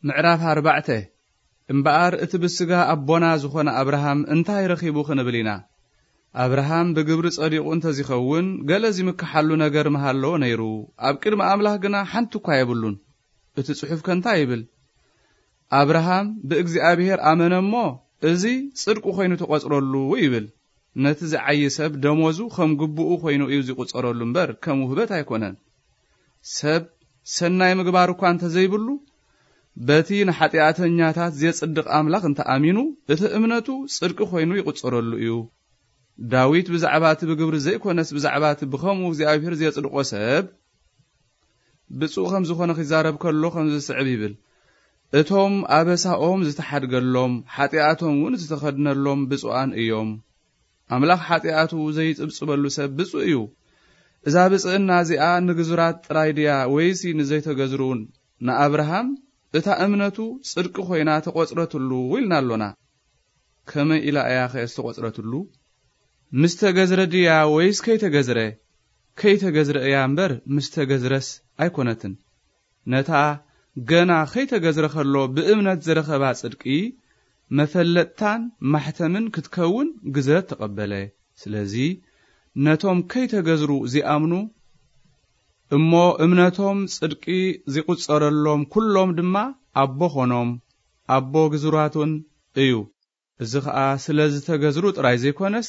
ምዕራፍ ኣርባዕተ። እምበኣር እቲ ብስጋ ኣቦና ዝኾነ ኣብርሃም እንታይ ረኺቡ ክንብል ኢና? ኣብርሃም ብግብሪ ጸዲቑ እንተዚኸውን፣ ገለ ዚምክሓሉ ነገር ምሃለዎ ነይሩ። ኣብ ቅድሚ ኣምላኽ ግና ሓንቲ እኳ የብሉን። እቲ ጽሑፍ ከ እንታይ ይብል? ኣብርሃም ብእግዚኣብሔር ኣመነ እሞ፣ እዚ ጽድቂ ኾይኑ ተቖጽረሉ ይብል። ነቲ ዝዓዪ ሰብ ደሞዙ ከም ግቡኡ ኾይኑ እዩ ዚቑጸረሉ እምበር፣ ከም ውህበት ኣይኮነን። ሰብ ሰናይ ምግባር እኳ እንተዘይብሉ፣ በቲ ንሓጢኣተኛታት ዜጽድቕ ኣምላኽ እንተ ኣሚኑ፣ እቲ እምነቱ ጽድቂ ኾይኑ ይቑጸረሉ እዩ። ዳዊት ብዛዕባ እቲ ብግብሪ ዘይኮነስ፣ ብዛዕባ እቲ ብኸምኡ እግዚኣብሔር ዜጽድቖ ሰብ፣ ብፁዕ ከም ዝኾነ ኺዛረብ ከሎ፣ ከምዚ ዝስዕብ ይብል፣ "እቶም ኣበሳኦም ዝተሓድገሎም፣ ሓጢኣቶም እውን ዝተኸድነሎም ብፁዓን እዮም።" ኣምላኽ ሓጢኣቱ ዘይጽብጽበሉ ሰብ ብፁዕ እዩ። እዛ ብጽእና እዚኣ ንግዙራት ጥራይ ድያ፣ ወይሲ ንዘይተገዝሩ? ንኣብርሃም እታ እምነቱ ጽድቂ ኾይና ተቖጽረትሉ ኢልና ኣሎና። ከመይ ኢላ እያ ኸ ዝተቖጽረትሉ? ምስ ተገዝረ ድያ ወይስ ከይተገዝረ? ከይተገዝረ እያ እምበር፣ ምስ ተገዝረስ ኣይኮነትን። ነታ ገና ከይተገዝረ ኸሎ ብእምነት ዝረኸባ ጽድቂ፣ መፈለጥታን ማሕተምን ክትከውን ግዝረት ተቐበለ። ስለዚ፣ ነቶም ከይተገዝሩ ዚኣምኑ እሞ እምነቶም ጽድቂ ዚቑጸረሎም ኵሎም ድማ ኣቦ ኾኖም፣ ኣቦ ግዙራቱን እዩ። እዚ ኸኣ ስለ ዝተገዝሩ ጥራይ ዘይኮነስ፣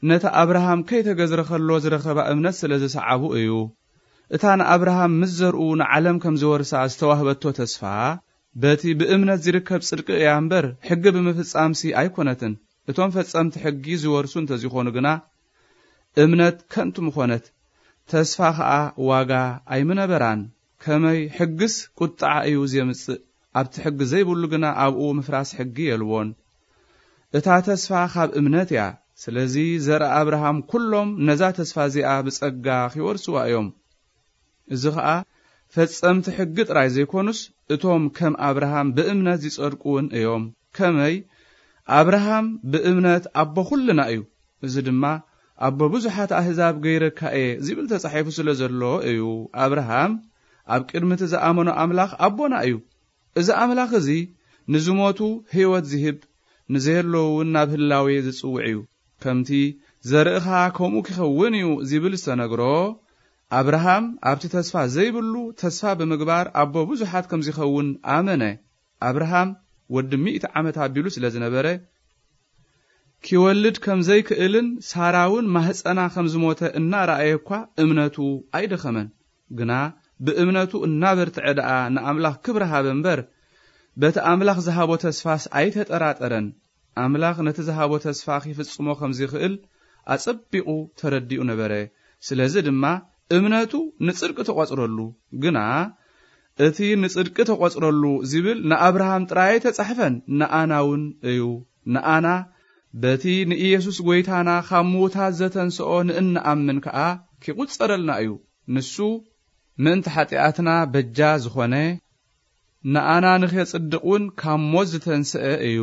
ነቲ ኣብርሃም ከይተገዝረ ኸሎ ዝረኸባ እምነት ስለ ዝሰዓቡ እዩ። እታ ንኣብርሃም ምስ ዘርኡ ንዓለም ከም ዝወርሳ ዝተዋህበቶ ተስፋ፣ በቲ ብእምነት ዚርከብ ጽድቂ እያ እምበር፣ ሕጊ ብምፍጻምሲ ኣይኮነትን። እቶም ፈጸምቲ ሕጊ ዝወርሱ እንተዚኾኑ ግና፣ እምነት ከንቱ ምኾነት፣ ተስፋ ኸኣ ዋጋ ኣይምነበራን። ከመይ ሕግስ ቁጥዓ እዩ ዜምጽእ፣ ኣብቲ ሕጊ ዘይብሉ ግና ኣብኡ ምፍራስ ሕጊ የልቦን። እታ ተስፋ ኻብ እምነት እያ። ስለዚ ዘርኢ ኣብርሃም ኵሎም ነዛ ተስፋ እዚኣ ብጸጋ ኺወርስዋ እዮም። እዚ ኸኣ ፈጸምቲ ሕጊ ጥራይ ዘይኮኑስ፣ እቶም ከም ኣብርሃም ብእምነት ዚጸድቁ እውን እዮም። ከመይ? ኣብርሃም ብእምነት ኣቦ ኵልና እዩ። እዚ ድማ፣ "ኣቦ ብዙሓት ኣህዛብ ገይረካ እየ" ዚብል ተጻሒፉ ስለ ዘሎ እዩ። ኣብርሃም ኣብ ቅድሚ እቲ ዝኣመኖ ኣምላኽ ኣቦና እዩ። እዚ ኣምላኽ እዚ ንዝሞቱ ህይወት ዚህብ፣ ንዘየለዉ እውን ናብ ህላዌ ዝጽውዕ እዩ። ከምቲ "ዘርእኻ ከምኡ ኪኸውን እዩ" ዚብል ዝተነግሮ፣ ኣብርሃም ኣብቲ ተስፋ ዘይብሉ ተስፋ ብምግባር ኣቦ ብዙሓት ከም ዚኸውን ኣመነ። ኣብርሃም ወዲ ሚእቲ ዓመት ኣቢሉ ስለ ዝነበረ፣ ኪወልድ ከም ዘይክእልን ሳራ እውን ማህጸና ከም ዝሞተ እናረኣየ እኳ እምነቱ ኣይደኸመን። ግና ብእምነቱ እናበርትዐ ደኣ ንኣምላኽ ክብሪ ሃበ እምበር፣ በቲ ኣምላኽ ዝሃቦ ተስፋስ ኣይተጠራጠረን። ኣምላኽ ነቲ ዝሃቦ ተስፋ ኺፍጽሞ ከም ዚኽእል ኣጸቢቑ ተረዲኡ ነበረ። ስለዚ ድማ እምነቱ ንጽድቂ ተቖጽረሉ። ግና እቲ ንጽድቂ ተቖጽረሉ ዚብል ንኣብርሃም ጥራይ ኣይተጻሕፈን፣ ንኣና እውን እዩ። ንኣና በቲ ንኢየሱስ ጐይታና ኻብ ምዉታት ዘተንስኦ ንእንኣምን ከኣ ኪቑጸረልና እዩ። ንሱ ምእንቲ ሓጢኣትና በጃ ዝኾነ፣ ንኣና ንኼጽድቕ እውን ካብ ሞት ዝተንስአ እዩ።